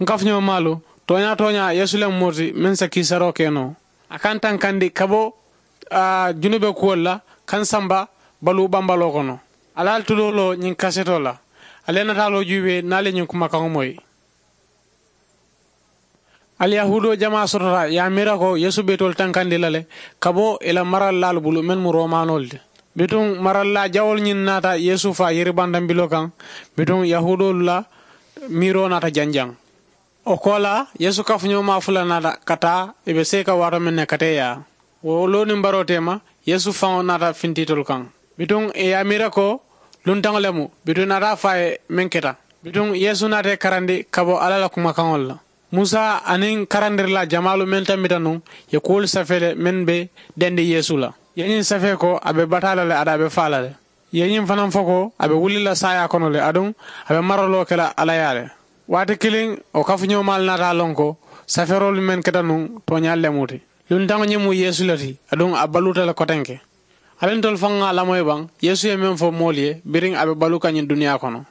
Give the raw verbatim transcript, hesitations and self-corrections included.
N kafuñoo maalu, tooñaa tooñaa yeesu le mu moo ti meŋ sa kiisaroo ke noo. A ka n tankandi ka bo junube kuwolu la ka n samba baluu bambaloo kono. Ali ali tulooloo ñiŋ kasetoo la. Ali ye nataaloo juubee niŋ ali ye ñiŋ kumakaŋo moyi. Aliyahudoo jamaa sotota ye a miira ko yeesu be itolu tankandi la le ka bo i la marallaalu bulu mennu mu roomaanoolu ti. Bituŋ marallaa jawoolu ñiŋ naata yeesu faa yiribantambiloo kaŋ. Bituŋ yahudoolu la miiroo naata janjaŋ. Wo koolaa yeesu kafuñoo maa fula naata ka taa i be seeka waato meŋ ne ka tee yaa. Wo loo niŋ baroo teema yeesu faŋo naata fintiitolu kaŋ. Bituŋ i ye a miira ko luntaŋo le mu. Bituŋ i naata a fo a ye meŋ keta. Bituŋ yeesu naata i karandi ka bo alla la kumakaŋolu la. Musa aniŋ karandirilaa jamaalu meŋ tambita nuŋ ye kuwolu safee le meŋ be dendi yeesu la. I ye ñiŋ safee ko a be bataa la le aduŋ a be faa la le. I ye ñiŋ fanaŋ fo ko a be wuli la saayaa kono le aduŋ a be maraloo ke la alla yaa le. Waati kiliŋ wo kafuñoomaalu naata a loŋ ko safeeroolu meŋ keta nuŋ tooñaalu le mu ti. Luntaŋo ñiŋ mu yeesu le ti aduŋ a baluuta le kotenke. Ali ntolu faŋ ŋa a lamoyi baŋ yeesu ye meŋ fo moolu ye biriŋ a be baluu ka ñiŋ duniyaa kono.